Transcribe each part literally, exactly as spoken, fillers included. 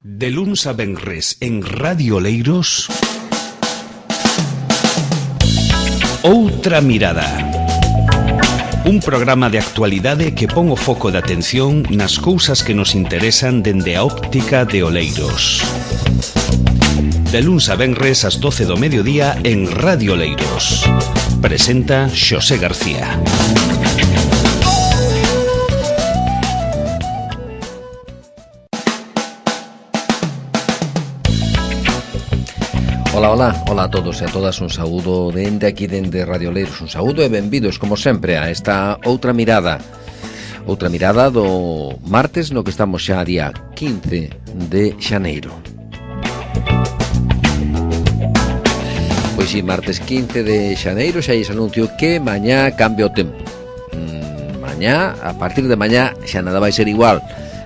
De luns a venres en Radio Oleiros, Outra Mirada. Un programa de actualidade que pon o foco de atención nas cousas que nos interesan dende a óptica de Oleiros. De luns a venres ás doce do mediodía en Radio Oleiros. Presenta Xosé García. Ola, ola, ola a todos e a todas, un saúdo dende aquí dende Radio Oleiros, un saúdo e benvidos, como sempre, a esta Outra Mirada. Outra mirada do martes, no que estamos xa a día quince de xaneiro. Pois si, martes quince de xaneiro xa lles anuncio que mañá cambia o tempo. mm, Mañá, a partir de mañá, xa nada vai ser igual.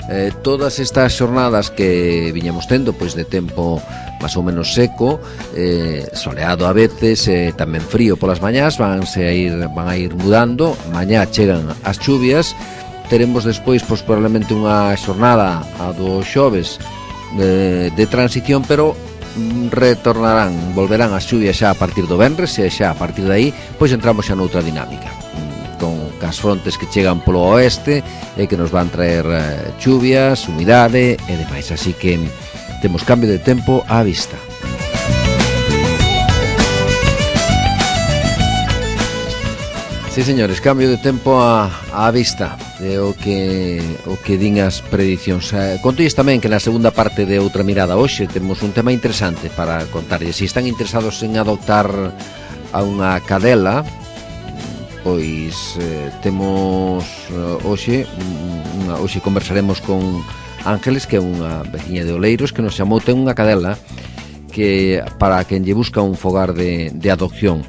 Eh, todas estas xornadas que viñamos tendo, pois de tempo máis ou menos seco, eh, soleado a veces, eh, tamén frío polas mañás, vanse a ir, van a ir mudando. Mañá chegan as chuvias, teremos despois pois probablemente unha xornada a do xoves de, de transición, pero retornarán, volverán as chuvias xa a partir do venres, e xa a partir de aí pois entramos xa noutra dinámica, con as frontes que chegan polo oeste e que nos van traer eh, chuvias, humidade e demais, así que temos cambio de tempo á vista. Sí, señores, cambio de tempo á, á vista é o que o que din as predicións. Eh, contois tamén que na segunda parte de Outra Mirada hoxe temos un tema interesante para contarles. Se están interesados en adoptar a unha cadela, pois eh, temos uh, hoxe unha, hoxe conversaremos con Ángeles, que é unha veciña de Oleiros, que nos chamou, ten unha cadela que para quen lle busca un fogar de, de adopción.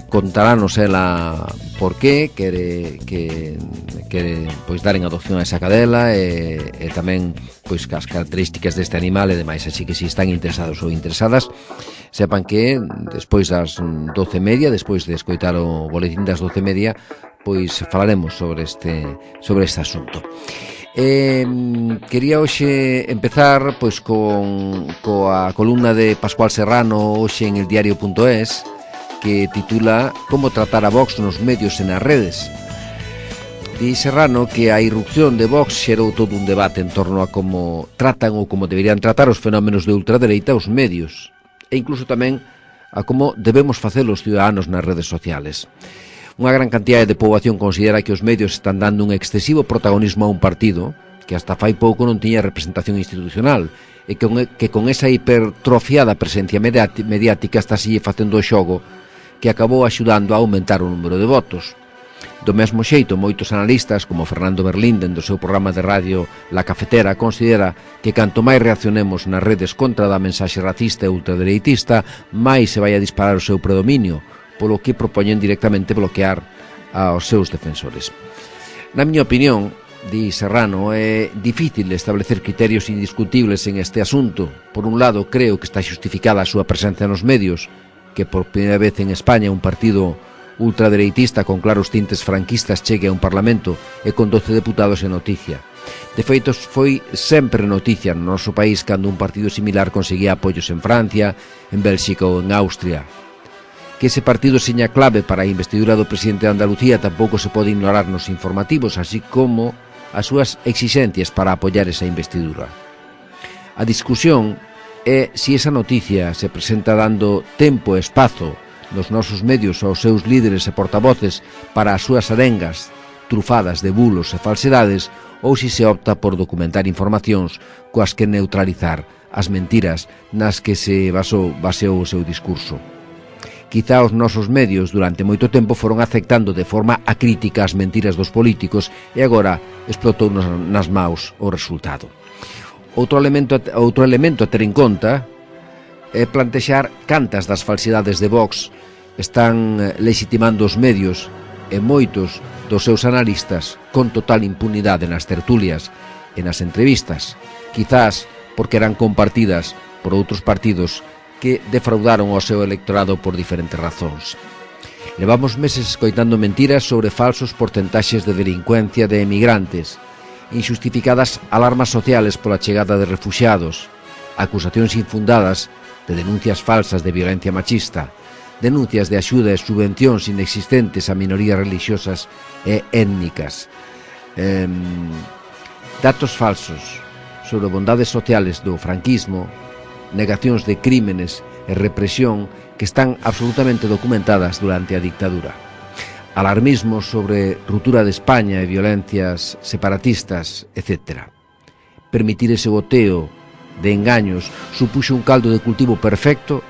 Contarános ela por qué quere que quere pois dar en adopción a esa cadela e, e tamén pois as características deste animal e demais, así que se están interesados ou interesadas, sepan que despois das doce e media, despois de escoitar o boletín das doce e media, pois falaremos sobre este sobre este asunto. Eh, quería hoxe empezar pois con coa columna de Pascual Serrano hoxe en el diario punto es, que titula Como tratar a Vox nos medios e nas redes. Di Serrano que a irrupción de Vox xerou todo un debate en torno a como tratan ou como deberían tratar os fenómenos de ultradereita os medios, e incluso tamén a como debemos facelo os ciudadanos nas redes sociales. Unha gran cantidade de poboación considera que os medios están dando un excesivo protagonismo a un partido que hasta fai pouco non tiña representación institucional e que con, que con esa hipertrofiada presencia mediática está así facendo o xogo que acabou axudando a aumentar o número de votos. Do mesmo xeito, moitos analistas, como Fernando Berlín, dentro do seu programa de radio La Cafetera, considera que canto máis reaccionemos nas redes contra da mensaxe racista e ultradereitista, máis se vai a disparar o seu predominio, polo que propoñen directamente bloquear aos seus defensores. Na miña opinión, di Serrano, é difícil establecer criterios indiscutibles en este asunto. Por un lado, creo que está xustificada a súa presencia nos medios, que por primeira vez en España un partido ultradereitista con claros tintes franquistas chegue a un parlamento e con doce deputados en noticia. De feito, foi sempre noticia no noso país cando un partido similar conseguía apoios en Francia, en Bélxica ou en Austria. Que ese partido seña clave para a investidura do presidente de Andalucía tampouco se pode ignorar nos informativos, así como as súas exixencias para apoiar esa investidura. A discusión é se esa noticia se presenta dando tempo e espazo nos nosos medios aos seus líderes e portavoces para as súas arengas trufadas de bulos e falsedades, ou se se opta por documentar informacións coas que neutralizar as mentiras nas que se basou, baseou o seu discurso. Quizá os nosos medios durante moito tempo foron aceptando de forma acrítica as mentiras dos políticos e agora explotou nas maus o resultado. Outro elemento, outro elemento a ter en conta é plantexar cantas das falsidades de Vox están legitimando os medios e moitos dos seus analistas con total impunidade nas tertulias e nas entrevistas, quizás porque eran compartidas por outros partidos que defraudaron ao seu electorado por diferentes razóns. Levamos meses escoitando mentiras sobre falsos porcentaxes de delincuencia de emigrantes, injustificadas alarmas sociales pola chegada de refuxiados, acusacións infundadas de denuncias falsas de violencia machista, denuncias de axuda e subvencións inexistentes a minorías religiosas e étnicas, eh, datos falsos sobre bondades sociales do franquismo, negacións de crímenes e represión que están absolutamente documentadas durante a dictadura, alarmismos sobre ruptura de España e violencias separatistas, etcétera. Permitir ese boteo de engaños supuxo un caldo de cultivo perfecto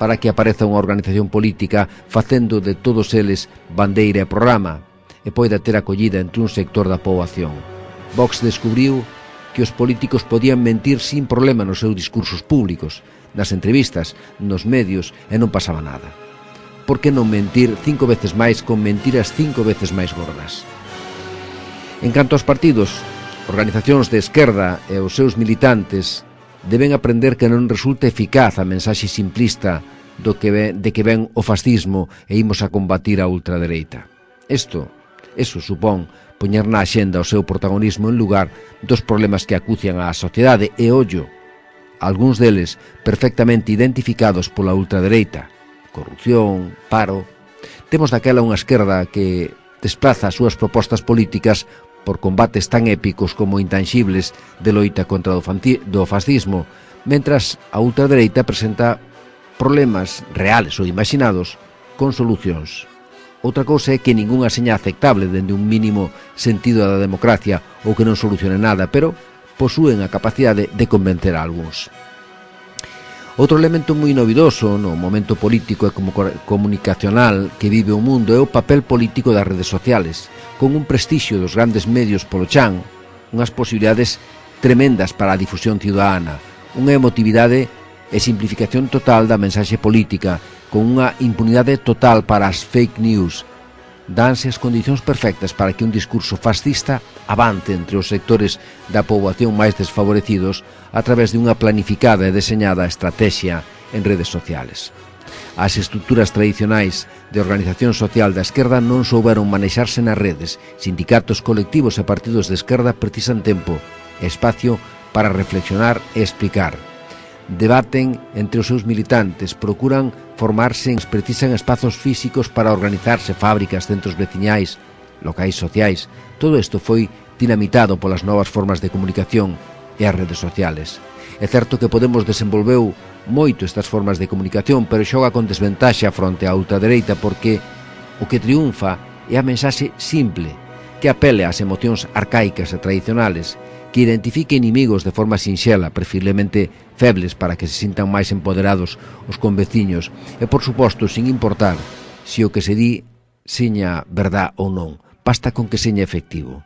para que apareza unha organización política facendo de todos eles bandeira e programa e poida ter acollida entre un sector da poboación. Vox descubriu que os políticos podían mentir sin problema nos seus discursos públicos, nas entrevistas, nos medios, e non pasaba nada. Por que non mentir cinco veces máis con mentiras cinco veces máis gordas? En canto aos partidos, organizacións de esquerda e os seus militantes deben aprender que non resulta eficaz a mensaxe simplista do que ven, de que ven o fascismo e imos a combatir a ultradereita. Isto, eso supón poñer na axenda o seu protagonismo en lugar dos problemas que acucian á sociedade e, ollo, algúns deles perfectamente identificados pola ultradereita, corrupción, paro. Temos daquela unha esquerda que desplaza as súas propostas políticas por combates tan épicos como intangibles de loita contra o fascismo, mentras a ultradereita presenta problemas reales ou imaginados con solucións. Outra cousa é que ningunha seña aceptable dende un mínimo sentido da democracia ou que non solucione nada, pero posúen a capacidade de convencer a algúns. Outro elemento moi novidoso no momento político e como comunicacional que vive o mundo é o papel político das redes sociales, con un prestixio dos grandes medios polo chan, unhas posibilidades tremendas para a difusión ciudadana, unha emotividade e simplificación total da mensaxe política, con unha impunidade total para as fake news. Danse as condicións perfectas para que un discurso fascista avance entre os sectores da poboación máis desfavorecidos a través de unha planificada e deseñada estrategia en redes sociales. As estruturas tradicionais de organización social da esquerda non souberon manexarse nas redes. Sindicatos, colectivos e partidos de esquerda precisan tempo e espacio para reflexionar e explicar. Debaten entre os seus militantes, procuran formarse, precisan espazos físicos para organizarse, fábricas, centros veciñais, locais sociais. Todo isto foi dinamitado polas novas formas de comunicación e as redes sociales. É certo que Podemos desenvolveu moito estas formas de comunicación, pero xoga con desventaxa fronte á ultradereita porque o que triunfa é a mensaxe simple, que apele ás emocións arcaicas e tradicionales, que identifique inimigos de forma sinxela, preferiblemente febles para que se sintan máis empoderados os conveciños e, por suposto, sin importar se o que se di seña verdad ou non, basta con que seña efectivo.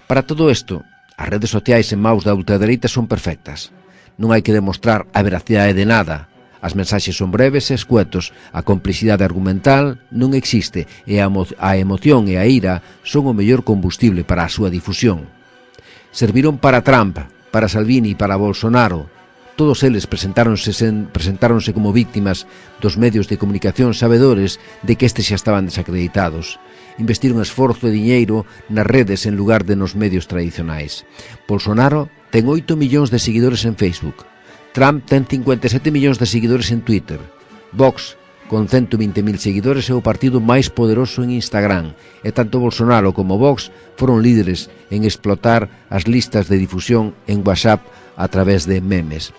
Para todo isto, as redes sociais en maus da ultradereita son perfectas. Non hai que demostrar a veracidade de nada. As mensaxes son breves e escuetos, a complexidade argumental non existe e a, emo a emoción e a ira son o mellor combustible para a súa difusión. Serviron para Trump, para Salvini e para Bolsonaro. Todos eles presentáronse, sen, presentáronse como víctimas dos medios de comunicación sabedores de que estes xa estaban desacreditados. Investiron esforzo e diñeiro nas redes en lugar de nos medios tradicionais. Bolsonaro ten oito millóns de seguidores en Facebook. Trump ten cincuenta e sete millóns de seguidores en Twitter. Vox, con cento vinte mil seguidores, é o partido máis poderoso en Instagram, e tanto Bolsonaro como Vox foron líderes en explotar as listas de difusión en WhatsApp a través de memes.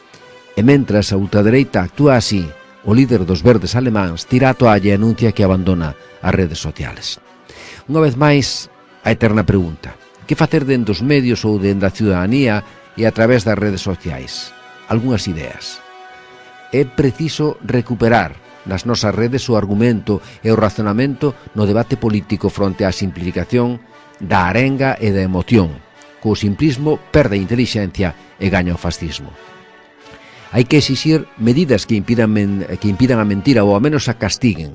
E mentras a ultradereita actúa así, o líder dos verdes alemáns tira a toalla e anuncia que abandona as redes sociales. Unha vez máis, a eterna pregunta: que facer dende os medios ou dende a ciudadanía e a través das redes sociais? Algúnas ideas. É preciso recuperar nas nosas redes o argumento e o razonamento no debate político fronte á simplificación da arenga e da emoción. Co simplismo perde a intelixencia e gaña o fascismo. Hai que exixir medidas que impidan, que impidan a mentira ou ao menos a castiguen.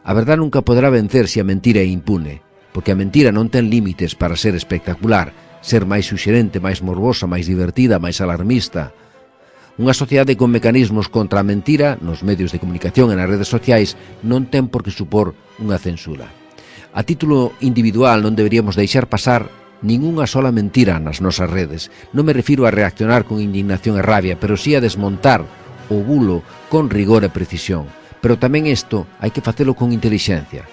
A verdade nunca poderá vencer se a mentira é impune, porque a mentira non ten límites para ser espectacular, ser máis suxerente, máis morbosa, máis divertida, máis alarmista. Unha sociedade con mecanismos contra a mentira nos medios de comunicación e nas redes sociais non ten por que supor unha censura. A título individual non deberíamos deixar pasar Ninguna sola mentira nas nosas redes. Non me refiro a reaccionar con indignación e rabia, pero sí a desmontar o bulo con rigor e precisión. Pero tamén isto hai que facelo con intelixencia.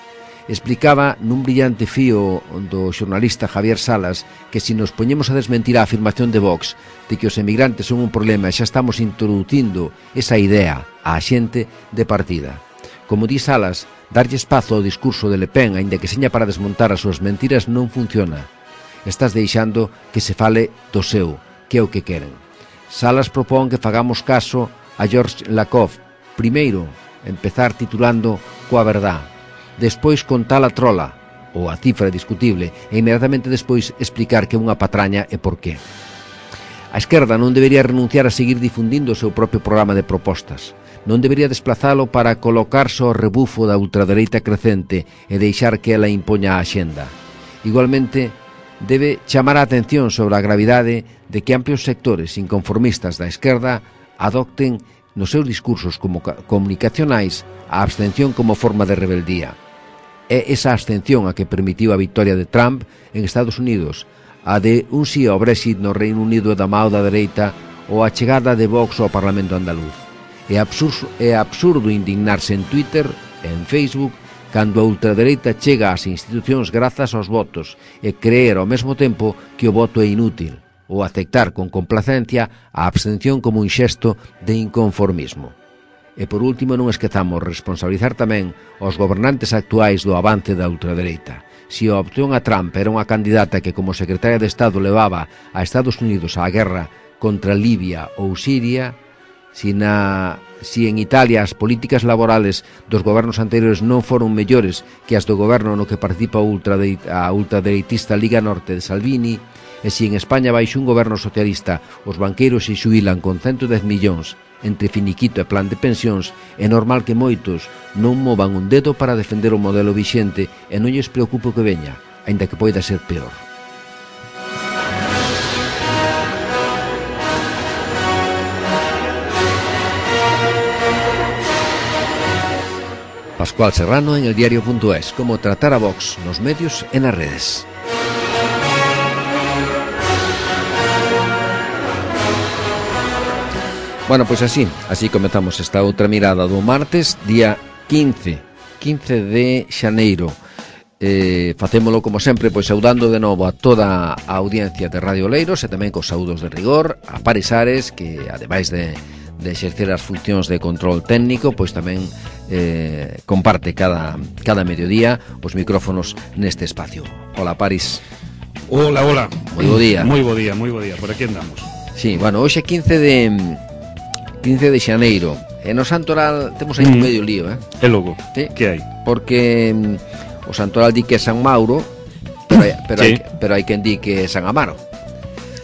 Explicaba nun brillante fío do xornalista Javier Salas que se nos poñemos a desmentir a afirmación de Vox de que os emigrantes son un problema e xa estamos introducindo esa idea á xente de partida. Como di Salas, darlle espazo ao discurso de Le Pen, aínda que seña para desmontar as súas mentiras, non funciona. Estás deixando que se fale do seu, que é o que queren. Salas propón que fagamos caso a George Lakoff. Primeiro, empezar titulando coa verdad, despois contar a trola, ou a cifra discutible, e inmediatamente despois explicar que é unha patraña e por qué. A esquerda non debería renunciar a seguir difundindo o seu propio programa de propostas. Non debería desplazalo para colocarse ao rebufo da ultradereita crecente e deixar que ela impoña a axenda. Igualmente, debe chamar a atención sobre a gravidade de que amplios sectores inconformistas da esquerda adopten nos seus discursos como comunicacionais a abstención como forma de rebeldía. É esa abstención a que permitiu a victoria de Trump en Estados Unidos, a de un sí ao Brexit no Reino Unido da mao da dereita ou a chegada de Vox ao Parlamento andaluz. É absurdo, é absurdo indignarse en Twitter e en Facebook cando a ultradereita chega ás institucións grazas aos votos e creer ao mesmo tempo que o voto é inútil, ou aceptar con complacencia a abstención como un xesto de inconformismo. E por último non esquezamos responsabilizar tamén os gobernantes actuais do avance da ultradereita. Se a opción a Trump era unha candidata que como secretaria de Estado levaba a Estados Unidos á guerra contra Libia ou Siria, si, na, si en Italia as políticas laborales dos gobernos anteriores non foron mellores que as do goberno no que participa a ultradereitista Liga Norte de Salvini, e si en España baixo un goberno socialista os banqueiros se xubilan con ciento dez millóns entre finiquito e plan de pensións, é normal que moitos non movan un dedo para defender o modelo vixente e non lles preocupe o que veña, aínda que poida ser peor. Pascual Serrano en el diario punto es. Cómo tratar a Vox nos medios e nas redes. Bueno, pois así, así comezamos esta outra mirada do martes, día quince de xaneiro. Eh, facémolo como sempre, pois saudando de novo a toda a audiencia de Radio Oleiros e tamén cos saúdos de rigor, a Paris Ares, que ademais de de exercer as funcións de control técnico, pois tamén eh, comparte cada, cada mediodía os micrófonos neste espacio. Hola, Paris. Hola, hola. Moi bo día. Moi bo día, moi bo día. Por aquí andamos. Sí, bueno, hoxe quince de xaneiro. E no Santoral temos aí mm. un medio lío, eh? E logo, sí? Que hai? Porque mm, o Santoral di que é San Mauro, pero, hai, pero, sí. hai, pero hai quen di que é San Amaro.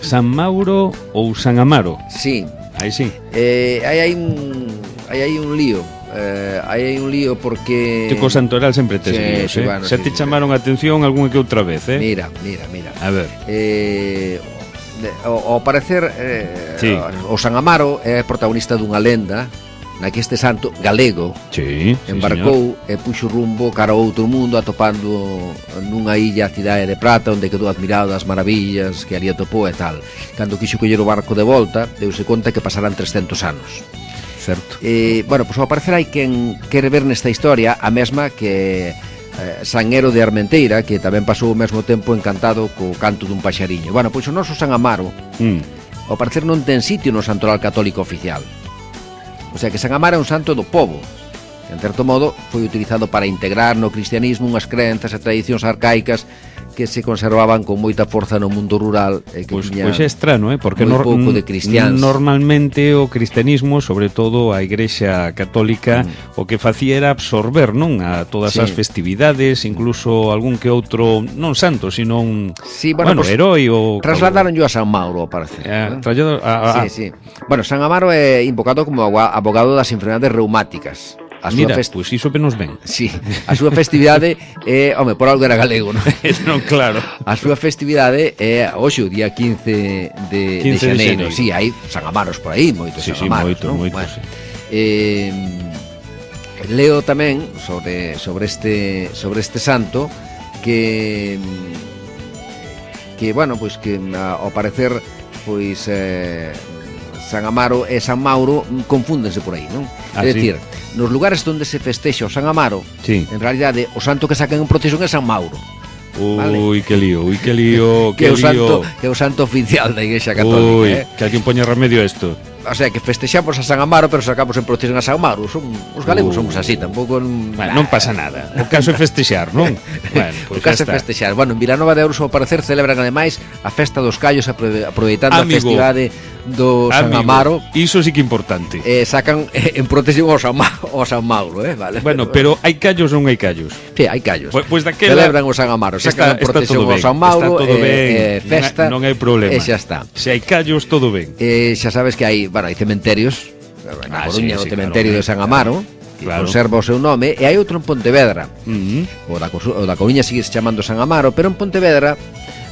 San Mauro ou San Amaro? Sí. Aí sí. Eh, aí hai un hai aí un lío. Eh, aí hai un lío porque Te co Santoral sempre tes sí, líos, sí, eh? Bueno, Se sí, te sí, chamaron a atención algunha que outra vez, eh? Mira, mira, mira. A ver. Eh, de, ao, ao parecer eh, sí. o San Amaro é protagonista dunha lenda na que este santo galego sí, embarcou sí, e puxo rumbo cara ao outro mundo, atopando nunha illa a cidade de Prata, onde quedou admirado das maravillas que ali atopou e tal. Cando quixo coller o barco de volta, deuse conta que pasarán trescentos anos. Certo. Eh, bueno, pois ao parecer hai quen quere ver nesta historia a mesma que eh, Sanguero de Armenteira, que tamén pasou o mesmo tempo encantado co canto dun paxariño. Bueno, pois o noso San Amaro mm. ao parecer non ten sitio no Santoral Católico oficial. O sea que San Amaro é un santo do pobo. En certo modo, foi utilizado para integrar no cristianismo unhas crenzas e tradicións arcaicas que se conservaban con moita forza no mundo rural e que pois, tiña pois é estrano, eh? Porque moi pouco de cristiáns. Normalmente o cristianismo, sobre todo a Igrexa Católica, mm. o que facía era absorber, non, a todas sí. as festividades, incluso algún que outro, non santo, sino un sí, bueno, bueno pues, heroi ou trasladaron yo a San Mauro, parece. Eh, trasladado a, a, sí, sí. Bueno, San Amaro é invocado como abogado das enfermedades reumáticas. A súa Mira, fest... pois iso que nos ven. Sí, a súa festividade é, home, por algo era galego, non? Non, claro. A súa festividade é hoxe o día quince de, quince de xaneiro. De sí, hai San Amaros por aí, moitos sí, San Amaros, sí, moito, non? moito, bueno, sí. Eh, leo tamén sobre sobre este sobre este santo que que, bueno, pois que ao parecer pois eh, San Amaro e San Mauro confúndense por aí, non? Ah, é sí? dicir, nos lugares onde se festexa o San Amaro, sí, en realidade o santo que sacan en procesión é San Mauro. Ui, Vale. que lío, ui, que lío, Que é que o santo, lío. que é o santo oficial da Igrexa Católica, Ui, eh? que alguén poña remedio a isto. O sea, que festexamos a San Amaro, pero sacamos en procesión a San Mauro. Son, os galegos Uh. somos así, tampouco... Bueno, non pasa nada. O caso é festexar, non? Bueno, O pois caso é xa está. festexar. Bueno, en Vilanova de Ouros, ao parecer, celebran ademais a festa dos callos, aprove- aproveitando Amigo. a festividade do San Amigo, Amaro. iso sí que é importante. Eh, sacan eh, en procesión ao San, Ma ao San Mauro, eh? Vale. Bueno, pero hai callos ou non hai callos? Sí, hai callos. Pois pues daquela Celebran o San Amaro, sacan está, en está procesión todo ao ben, San Mauro, está todo eh, ben, eh, festa, non hai, non hai problema. e xa está. Se hai callos, todo ben. Eh, xa sabes que hai, bueno, hai cementerios, na Ah, Coruña, sí, o sí, cementerio claro, de San Amaro, que claro. conserva o seu nome, e hai outro en Pontevedra. Mm. O da, Cosu- o da Coruña sigue se chamando San Amaro, pero en Pontevedra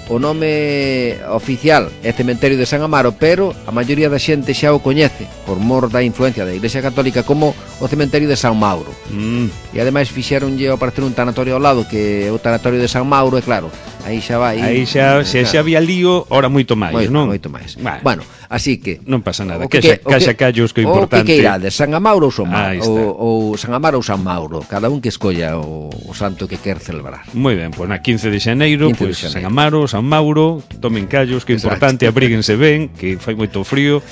o nome oficial é Cementerio de San Amaro, pero a maioría da xente xa o coñece por mor da influencia da Iglesia Católica como o Cementerio de San Mauro. Mm. E ademais fixeronlle ao parecer un tanatorio ao lado, que é o tanatorio de San Mauro, e claro, aí xa vai. Aí xa, se xa había lío, ora moito máis, moito, non? moito máis. Bueno, Bueno, así que non pasa nada. o que Que xa, que- o caixa que- callos que é o importante. que que irades, San Amaro ou San Aí Mauro? está. Ou, ou San Amaro ou San Mauro, cada un que escolla o, o santo que quer celebrar. Moi ben, pois na quince de xaneiro, quince de pois xaneiro. San Amaro, San Mauro, tomen callos, que é Exacto. importante, abríguense ben, que fai moito frío,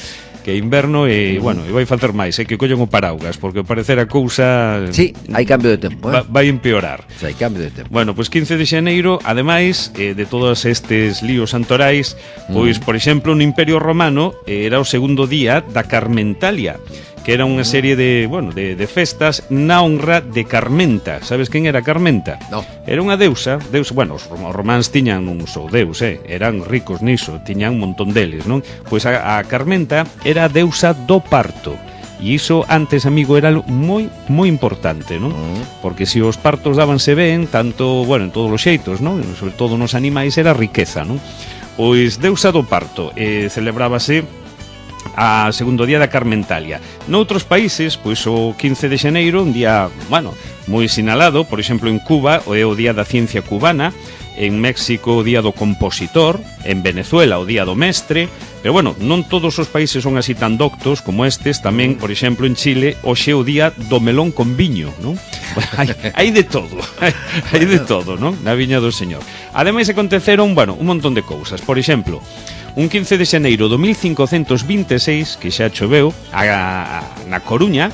que é inverno e, bueno, e vai facer máis, é que collen o paraugas, porque ao parecer a cousa Sí, hai cambio de tempo, va, eh? vai empeorar. O sea, hai cambio de tempo. Bueno, pois quince de xaneiro, ademais eh, de todos estes líos santorais, pois, por exemplo, no Imperio Romano eh, era o segundo día da Carmentalia, que era unha serie de, bueno, de, de festas na honra de Carmenta. Sabes quen era Carmenta? No. Era unha deusa, deusa, bueno, os rom- os románs tiñan un só deus, eh, eran ricos niso, tiñan un montón deles, non? Pois a, a Carmenta era a deusa do parto. E iso antes, amigo, era algo moi moi importante, non? Porque se os partos dábanse ben, tanto, bueno, en todos os xeitos, non? Sobre todo nos animais era riqueza, non? Pois deusa do parto, eh, celebrábase a segundo día da Carmentalia. Noutros países, pois o quince de xaneiro, un día, bueno, moi sinalado, por exemplo, en Cuba é o Día da Ciencia Cubana, en México o Día do Compositor, en Venezuela o Día do Mestre, pero bueno, non todos os países son así tan doctos como estes, tamén, por exemplo, en Chile, hoxe é o Día do Melón con Viño, non? hai, hai de todo, hai, hai de todo, non? Na viña do Señor. Ademais aconteceron, bueno, un montón de cousas, por exemplo, un quince de xaneiro do mil cincocentos vinte e seis, que xa choveu, a, a, na Coruña,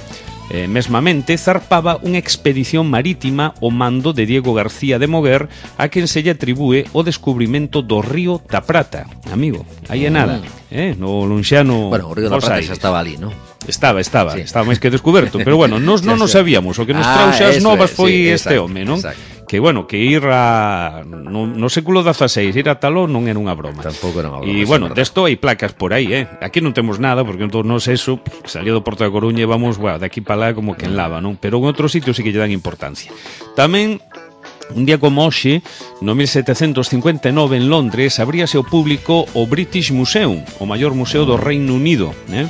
eh, mesmamente, zarpaba unha expedición marítima ao mando de Diego García de Moguer, a quen se lle atribúe o descubrimento do río da Prata. Amigo, aí é nada, eh, no lonxano Bueno, o Río da Bos Prata Aires. xa estaba ali, non? Estaba, estaba, Sí. estaba máis que descoberto, pero bueno, nos non Xa, nos xa. sabíamos, o que nos Ah, trouxe as eso novas é, foi sí, este exacto, home, non? exacto. Que bueno, que ir a no, no século dezaseis, ir a Taló non era unha broma. Tampouco era unha broma, E sí, bueno, verdad. desto hai placas por aí, eh. Aquí non temos nada, porque entón nos eso, salió do Porto da Coruña e vamos, bueno, de aquí para lá como que en lava, non? Pero en outros sitios sí que lle dan importancia. Tamén un día como hoxe, no mil setecentos cincuenta e nove en Londres, abríase ao público o British Museum, o maior museo do Reino Unido, eh?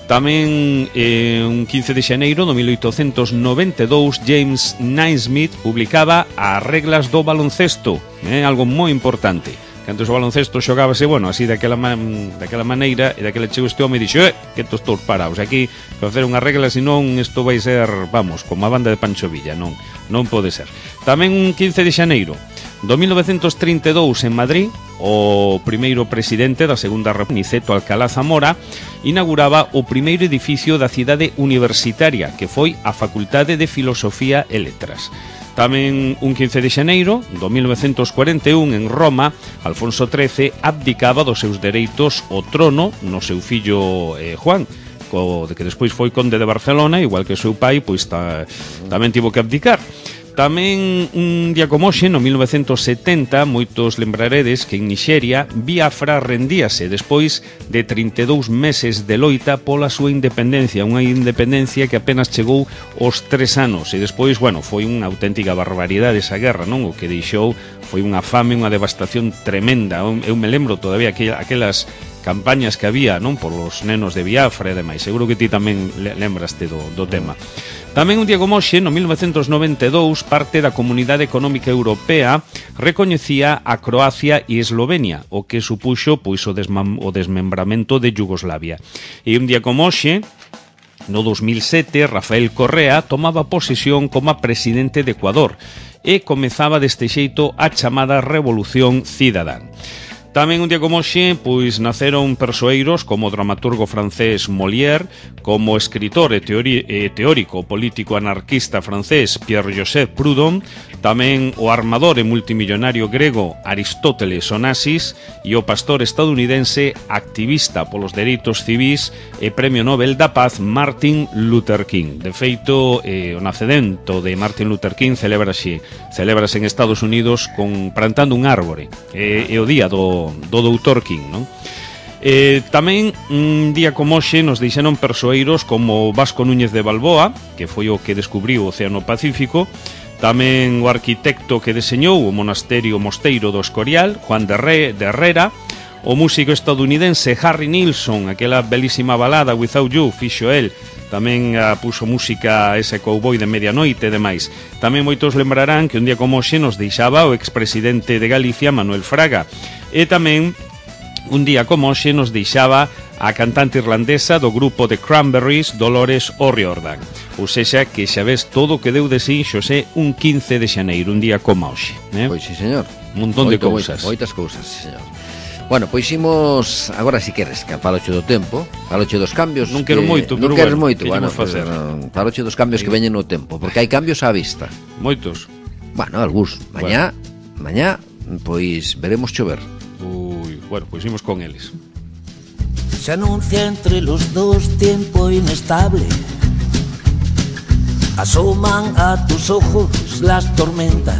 Tamén eh, un quince de xaneiro do mil oitocentos noventa e dous James Naismith publicaba as reglas do baloncesto, eh, algo moi importante. Que antes o baloncesto xogábase, bueno, así daquela, man, daquela maneira, e daquela chegou este home e dixo, eh, que estos todos parados aquí, para facer unha regla, senón isto vai ser, vamos, como a banda de Pancho Villa, non, non pode ser. Tamén un quince de xaneiro do mil novecentos trinta e dous en Madrid, o primeiro presidente da Segunda República, Niceto Alcalá Zamora, inauguraba o primeiro edificio da cidade universitaria, que foi a Facultade de Filosofía e Letras. Tamén un quince de xaneiro do mil novecentos cuarenta e un en Roma, Alfonso trece abdicaba dos seus dereitos ao trono no seu fillo eh, Juan, co, de que despois foi conde de Barcelona, igual que o seu pai, pois ta, tamén tivo que abdicar. Tamén un día como hoxe, no mil novecentos setenta, moitos lembraredes que en Nixeria Biafra rendíase despois de trinta e dous meses de loita pola súa independencia, unha independencia que apenas chegou aos tres anos, e despois, bueno, foi unha auténtica barbaridade esa guerra, non? O que deixou foi unha fame, unha devastación tremenda. Eu me lembro todavía aquelas campañas que había, non, polos nenos de Biafra e demais. Seguro que ti tamén lembraste do, do tema. Tamén un día como hoxe, no mil novecentos noventa e dous, parte da Comunidade Económica Europea recoñecía a Croacia e Eslovenia, o que supuxo pois o, desmam, o desmembramento de Yugoslavia. E un día como hoxe, no dos mil sete, Rafael Correa tomaba posesión como presidente de Ecuador e comezaba deste xeito a chamada Revolución Cidadán. Tamén un día como hoxe, pois naceron persoeiros como o dramaturgo francés Molière, como o escritor e, teori, e teórico político anarquista francés Pierre-Joseph Proudhon, tamén o armador e multimillonario grego Aristóteles Onassis e o pastor estadounidense activista polos dereitos civis e Premio Nobel da Paz Martin Luther King. De feito, eh, o nacemento de Martin Luther King celebrase, celebrase en Estados Unidos con plantando un árbore. É eh, o día do do doutor King, non? Eh, tamén un día como hoxe nos deixaron persoeiros como Vasco Núñez de Balboa, que foi o que descubriu o Océano Pacífico, tamén o arquitecto que deseñou o monasterio Mosteiro do Escorial, Juan de, Re, de Herrera, o músico estadounidense Harry Nilsson, aquela belísima balada Without You, fixo el, tamén a, puso música a ese cowboy de medianoite e demais. Tamén moitos lembrarán que un día como hoxe nos deixaba o expresidente de Galicia, Manuel Fraga, e tamén un día como hoxe nos deixaba a cantante irlandesa do grupo The Cranberries, Dolores O'Riordan. Ou sexa, que xa ves todo o que deu de si Xosé un quince de xaneiro, un día como hoxe, eh? Pois sí, señor. Un montón Moito, de cousas. Moitas cousas, sí, señor. Bueno, pois imos, agora si queres, que faloche do tempo, faloche dos cambios. Non quero que, moito, non pero queres bueno, moito, bueno, facer. Pues, faloche dos cambios sí. que veñen no tempo, porque hai cambios á vista. Moitos. Bueno, algúns. Mañá, bueno. mañá, pois veremos chover. Ui, bueno, pois imos con eles. Se anuncia entre los dos tiempo inestable. Asoman a tus ojos las tormentas.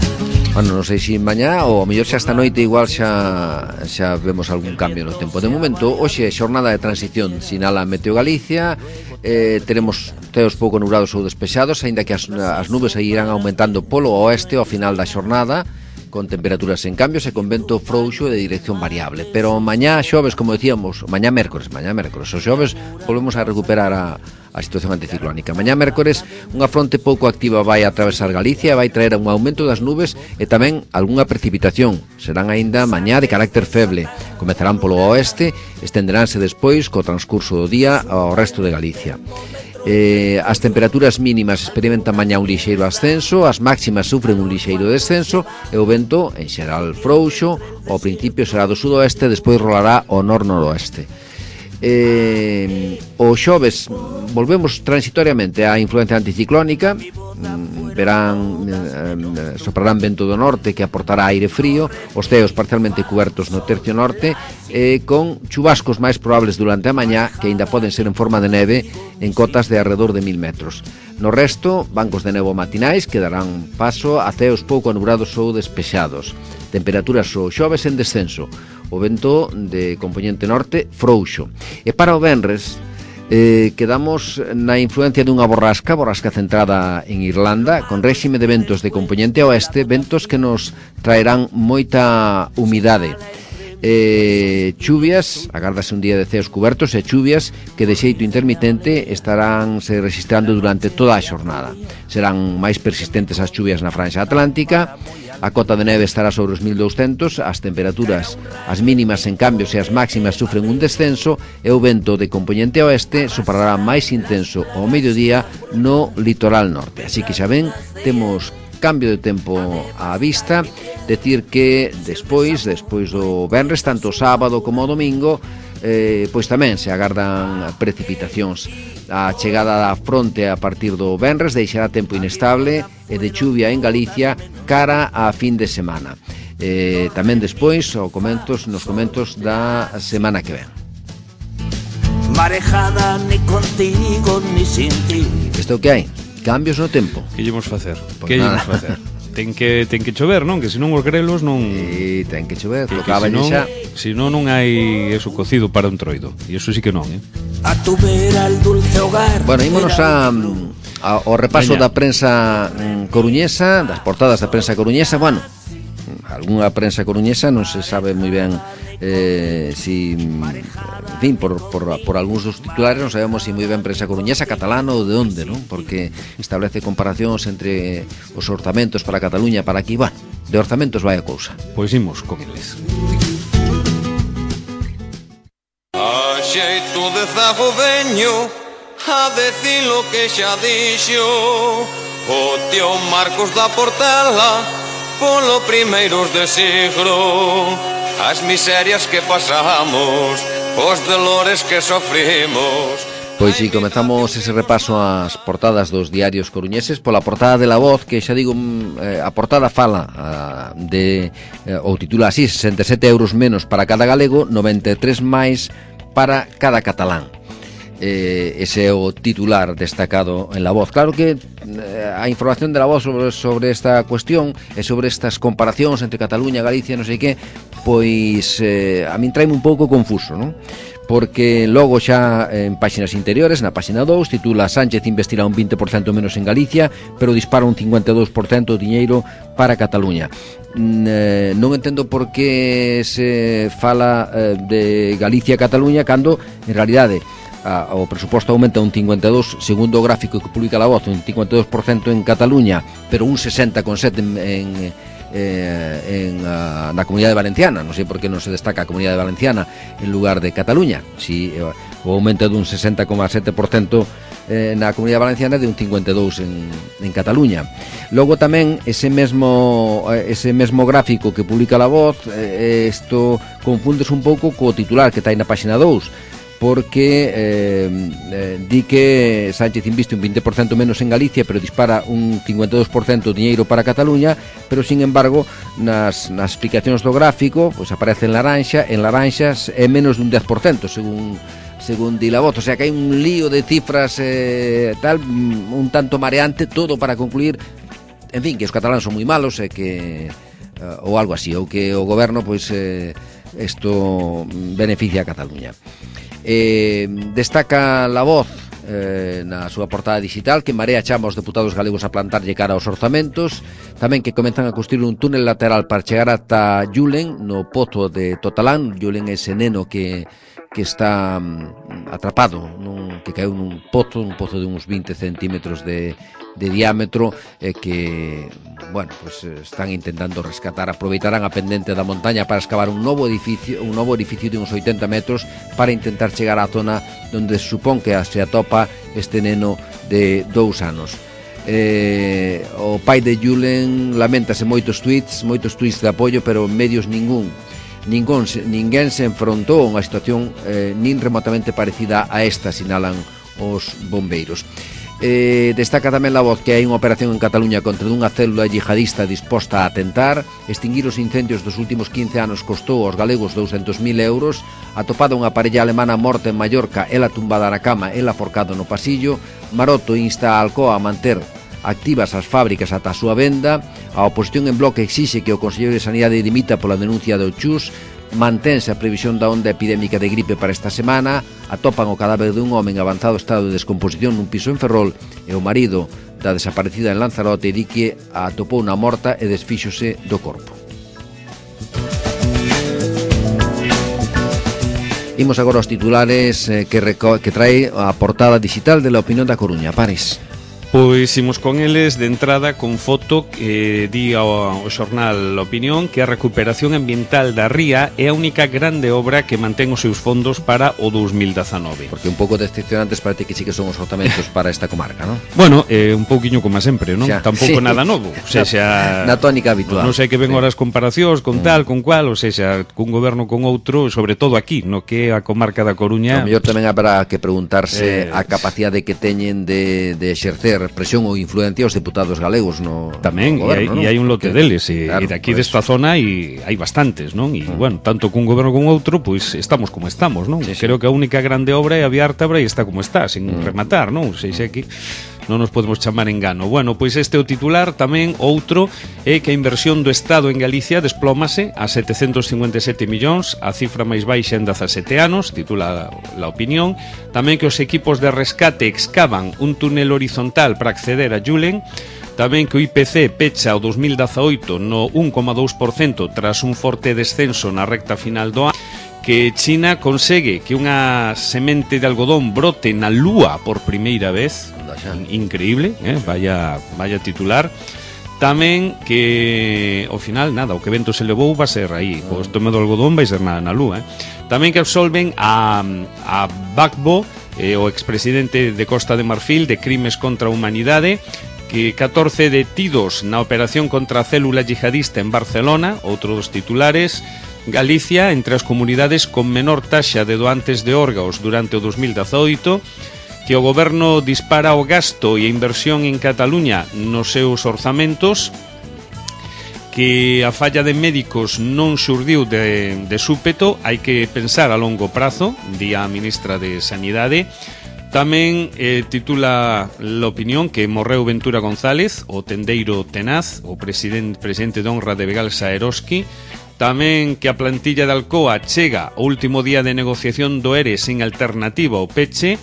Bueno, non sei se mañá ou a mellor xa esta noite igual xa xa vemos algún cambio no tempo. De momento, hoxe é xornada de transición, sinala Meteo Galicia. Eh, teremos teos pouco nublados ou despexados, aínda que as, as nubes irán aumentando polo oeste ao final da xornada, con temperaturas en cambios e con vento frouxo de dirección variable. Pero mañá xoves, como decíamos, mañá mércores, mañá mércores, o xoves volvemos a recuperar a, a situación anticiclónica. Mañá mércores unha fronte pouco activa vai a atravesar Galicia e vai traer un aumento das nubes e tamén algunha precipitación. Serán aínda mañá de carácter feble. Comezarán polo oeste, estenderánse despois co transcurso do día ao resto de Galicia. Eh, as temperaturas mínimas experimentan mañá un lixeiro ascenso, as máximas sufren un lixeiro descenso e o vento, en xeral frouxo, ao principio será do sudoeste, despois rolará ao nor-noroeste. Eh, o xoves volvemos transitoriamente á influencia anticiclónica, verán, eh, soprarán vento do norte que aportará aire frío, os ceos parcialmente cubertos no tercio norte, eh, con chubascos máis probables durante a mañá, que aínda poden ser en forma de neve en cotas de alrededor de mil metros. No resto, bancos de nevo matinais que darán paso a ceos pouco anubrados ou despexados. Temperaturas o xoves en descenso, o vento de compoñente norte frouxo. E para o venres, Eh, quedamos na influencia dunha borrasca, borrasca centrada en Irlanda, con réxime de ventos de compoñente oeste, ventos que nos traerán moita humidade. Eh, chuvias, agárdase un día de ceos cubertos e chuvias que de xeito intermitente estarán se registrando durante toda a xornada. Serán máis persistentes as chuvias na franxa atlántica. A cota de neve estará sobre os mil douscentos, as temperaturas, as mínimas en cambios e as máximas sufren un descenso e o vento de compoñente oeste soprará máis intenso ao mediodía no litoral norte. Así que xa ven, temos cambio de tempo á vista, decir que despois, despois do venres, tanto sábado como domingo, eh, pois tamén se agardan precipitacións. A chegada da fronte a partir do venres deixará tempo inestable e de chuvia en Galicia cara a fin de semana. Eh, tamén despois, o comentos, nos comentos da semana que ven. Marejada ni contigo ni sin ti. Isto que hai? Cambios no tempo. Que llevamos facer? Pues que llevamos facer? Ten que ten que chover, non? Que senón os grelos non... E ten que chover, que, tocaba que senón, xa. Senón non hai eso cocido para un troido. E iso sí que non, eh? A tu vera el dulce hogar. Bueno, ímonos a, a, ao repaso Veña. da prensa mm, coruñesa, das portadas da prensa coruñesa. Bueno, algunha prensa coruñesa non se sabe moi ben eh, si, en fin, por, por, por algúns dos titulares non sabemos se moi ben prensa coruñesa, catalana ou de onde, non? Porque establece comparacións entre os orzamentos para Cataluña, para aquí, bueno, de orzamentos vai a cousa. Pois imos con eles. A xeito de zago veño a decir lo que xa dixo o tío Marcos da Portela polo primeiros de siglo, as miserias que pasamos, os dolores que sofrimos. Pois si, comezamos ese repaso ás portadas dos diarios coruñeses pola portada de La Voz, que xa digo, eh, a portada fala a, de, eh, ou titula así, sesenta e sete euros menos para cada galego, noventa e tres máis para cada catalán. Eh, ese é o titular destacado en La Voz. Claro que eh, a información de La Voz sobre, sobre esta cuestión e sobre estas comparacións entre Cataluña, Galicia, non sei que, pois eh, a min traime un pouco confuso, non? Porque logo xa en páxinas interiores, na páxina dous, titula Sánchez investirá un vinte por cento menos en Galicia, pero dispara un cincuenta e dous por cento de diñeiro para Cataluña. Mm, eh, non entendo por que se fala eh, de Galicia e Cataluña cando, en realidade, a, o presuposto aumenta un cincuenta e dous por cento, segundo o gráfico que publica La Voz, un cincuenta e dous por cento en Cataluña, pero un sesenta coma sete por cento en... en Eh, en, uh, na Comunidade Valenciana. Non sei por que non se destaca a Comunidade Valenciana en lugar de Cataluña. Si eh, o aumento dun sesenta coma sete por cento eh, na Comunidade Valenciana de un cincuenta e dous por cento en, en Cataluña. Logo tamén ese mesmo ese mesmo gráfico que publica La Voz, eh, isto confundes un pouco co titular que está aí na páxina dous, porque eh, eh, di que Sánchez inviste un vinte por cento menos en Galicia, pero dispara un cincuenta e dous por cento de diñeiro para Cataluña, pero sin embargo nas, nas explicacións do gráfico pois aparece en laranxa, en laranxas é menos dun dez por cento según según di La Voz, o sea que hai un lío de cifras eh, tal, un tanto mareante, todo para concluir, en fin, que os cataláns son moi malos e que uh, ou algo así, ou que o goberno pois eh, isto beneficia a Cataluña. Eh, destaca La Voz eh, na súa portada digital que Marea chama aos deputados galegos a plantarlle cara aos orzamentos, tamén que comenzan a construir un túnel lateral para chegar ata Yulen no pozo de Totalán. Yulen é ese neno que, que está um, atrapado nun, que caeu nun pozo, un pozo de uns vinte centímetros de, de diámetro e eh, que, bueno, pues están intentando rescatar, aproveitarán a pendente da montaña para excavar un novo edificio, un novo edificio de uns oitenta metros para intentar chegar á zona onde se supón que se atopa este neno de dous anos. Eh, o pai de Yulen lamentase moitos tweets, moitos tweets de apoio, pero medios ningún. Ningún, ninguén se enfrontou a unha situación eh, nin remotamente parecida a esta, sinalan os bombeiros. Eh, destaca tamén La Voz que hai unha operación en Cataluña contra unha célula yihadista disposta a atentar. Extinguir os incendios dos últimos quince anos costou aos galegos douscentos mil euros. Atopada unha parella alemana morta en Mallorca, ela tumbada na cama, ela forcado no pasillo. Maroto insta a Alcoa a manter activas as fábricas ata a súa venda. A oposición en bloque exixe que o Conselleiro de Sanidade dimita pola denuncia do Chus. Mantense a previsión da onda epidémica de gripe para esta semana. Atopan o cadáver dun home en avanzado estado de descomposición nun piso en Ferrol e o marido da desaparecida en Lanzarote di que a atopou na morta e desfíxose do corpo. Imos agora aos titulares eh, que, reco- que trae a portada digital de La Opinión da Coruña. Paris. Pois imos con eles de entrada con foto que di ao, ao xornal La Opinión que a recuperación ambiental da ría é a única grande obra que mantén os seus fondos para o dous mil dezanove. Porque un pouco decepcionantes parece que sí que son os orzamentos para esta comarca, non? Bueno, eh, un pouquiño como sempre, non? Xa, Tampouco sí. nada novo. O sea, xa, na tónica habitual. Non sei que ven Sí. horas comparacións con tal, con cual, ou sea, cun goberno con outro, sobre todo aquí, no que é a comarca da Coruña. O mellor tamén habrá que preguntarse Eh, a capacidade que teñen de, de exercer presión ou influencia os deputados galegos no Tamén, no goberno, e, hai, e hai un lote Porque, deles e, claro, e de aquí por desta zona e hai bastantes, non? E, Mm. bueno, tanto cun goberno como outro, pois estamos como estamos, non? Sí, sí. Creo que a única grande obra é a Vía Ártabra e está como está, sin Mm. rematar, non? Sei se aquí non nos podemos chamar engano. Bueno, pois este é o titular. Tamén outro é que a inversión do Estado en Galicia desplómase a setecentos cincuenta e sete millóns, a cifra máis baixa en dezasete anos, titula La Opinión. Tamén que os equipos de rescate excavan un túnel horizontal para acceder a Yulen. Tamén que o I P C pecha o dos mil dezaoito no un coma dous por cento tras un forte descenso na recta final do ano, que China consegue que unha semente de algodón brote na Lúa por primeira vez, increíble, eh? vaya, vaya titular. Tamén que ao final, nada, o que vento se levou va a ser aí, o estome do algodón vai ser nada na Lúa, eh? Tamén que absolven a, a Gbagbo, eh, o expresidente de Costa de Marfil, de crimes contra a humanidade, que catorce detidos na operación contra a célula yihadista en Barcelona, outro dos titulares. Galicia, entre as comunidades con menor taxa de doantes de órganos durante o dos mil dezaoito, que o goberno dispara o gasto e a inversión en Cataluña nos seus orzamentos, que a falla de médicos non xurdiu de, de súpeto, hai que pensar a longo prazo, di a ministra de Sanidade. Tamén eh, titula l'opinión que morreu Ventura González, o tendeiro tenaz, o presidente, presidente de honra de Begalsa Eroski. Tamén que a plantilla de Alcoa chega o último día de negociación do E R E sen alternativa ao peche,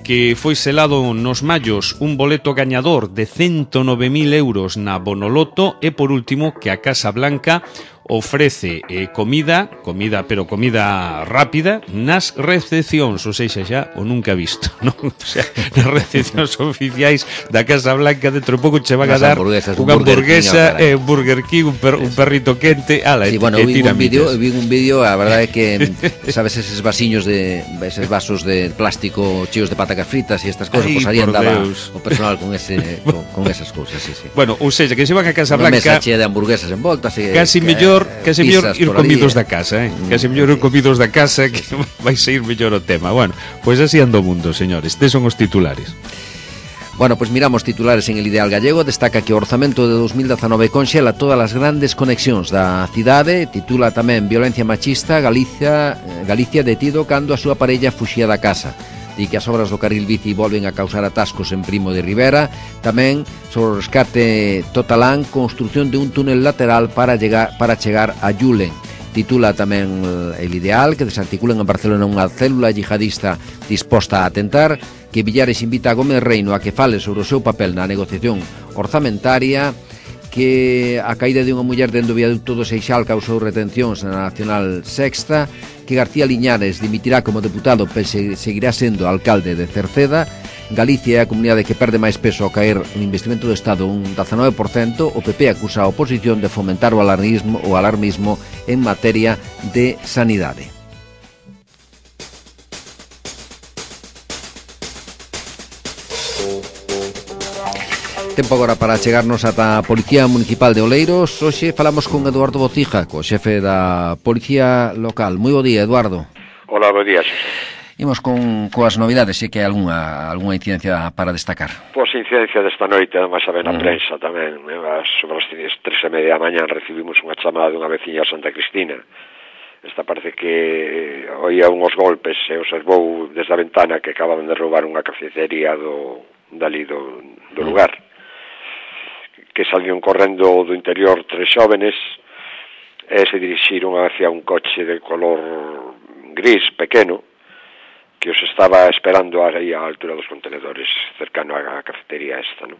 que foi selado nos mallos un boleto gañador de ciento nove mil euros na Bonoloto, e por último que a Casa Blanca ofrece eh, comida, comida, pero comida rápida, nas recepcións, ou seja, xa o nunca visto, non? O sea, nas recepcións oficiais da Casa Blanca, dentro de pouco che van a dar unha hamburguesa, eh, un Burger King, un, per, un perrito quente, ala, sí, e, bueno, e vi un vídeo, vi un vídeo, a verdade é que sabes eses vasiños de eses vasos de plástico cheos de patacas fritas e estas cousas, pois pues, aí andaba Deus. O personal con ese con, con esas cousas, sí, sí. Bueno, ou seja, que se van a Casa Blanca, unha mesa chea de hamburguesas envoltas e casi mellor casi mellor ir comidos da casa, eh? Casi mellor ir comidos da casa, que vai sair mellor o tema. Bueno, pois pues así anda o mundo, señores. Estes son os titulares. Bueno, pois pues miramos titulares en El Ideal Gallego. Destaca que o orzamento de dos mil dezanove conxela todas as grandes conexións da cidade. Titula tamén Violencia machista, Galicia, Galicia detido cando a súa parella fuxía da casa. Di que as obras do carril bici volven a causar atascos en Primo de Rivera. Tamén sobre o rescate Totalán, construción de un túnel lateral para llegar, para chegar a Yulen. Titula tamén El Ideal que desarticulan en Barcelona unha célula yihadista disposta a atentar, que Villares invita a Gómez Reino a que fale sobre o seu papel na negociación orzamentaria, que a caída de unha muller dentro do viaducto do Seixal causou retencións na Nacional Sexta, que García Liñares dimitirá como deputado pero seguirá sendo alcalde de Cerceda. Galicia é a comunidade que perde máis peso ao caer o investimento do Estado un dezanove por cento. O P P acusa a oposición de fomentar o alarmismo, o alarmismo en materia de sanidade. Tempo agora para chegarnos ata a Policía Municipal de Oleiros. Hoxe falamos con Eduardo Bocija, co xefe da Policía Local. Moi bo día, Eduardo. Hola, bo día, Xosé. Imos con coas novidades, se que hai algunha, algunha incidencia para destacar. Pois incidencia desta noite, además a ver na uh -huh. prensa tamén, sobre as tres e media da mañan recibimos unha chamada dunha veciña de Santa Cristina. Esta parece que oía unhos golpes e observou desde a ventana que acaban de roubar unha cafetería do, dali do, do lugar. Que salían correndo do interior tres xóvenes e se dirixiron hacia un coche de color gris pequeno que os estaba esperando aí á altura dos contenedores, cercano á cafetería esta, non?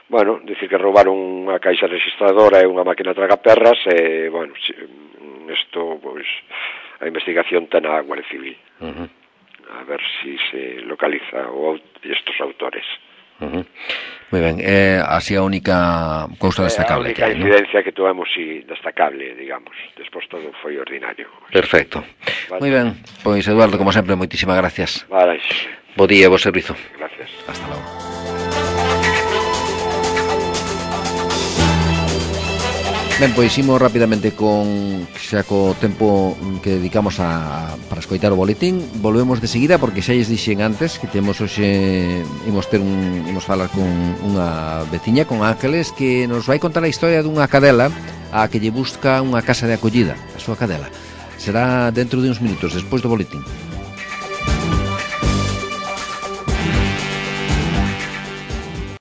Bueno, dicir que roubaron unha caixa registradora e unha máquina tragaperras e, bueno, isto, pois, a investigación ten a Guardia Civil. Uh-huh. A ver si se localiza o, estos autores. Uh-huh. Moi ben, é así a única cousa destacable. É a única que, incidencia ¿no? que tuvemos si destacable, digamos. Despois todo foi ordinario. Perfecto. Vale. Moi ben, pois Eduardo, como sempre, moitísimas gracias. Vale. Bo día, bo servizo. Gracias. Hasta logo. Ben, pois imos rapidamente con xa co tempo que dedicamos a para escoitar o boletín. Volvemos de seguida porque xa lles dixen antes que temos hoxe imos ter un imos falar con unha veciña, con Ángeles, que nos vai contar a historia dunha cadela a que lle busca unha casa de acollida, a súa cadela. Será dentro de uns minutos despois do boletín.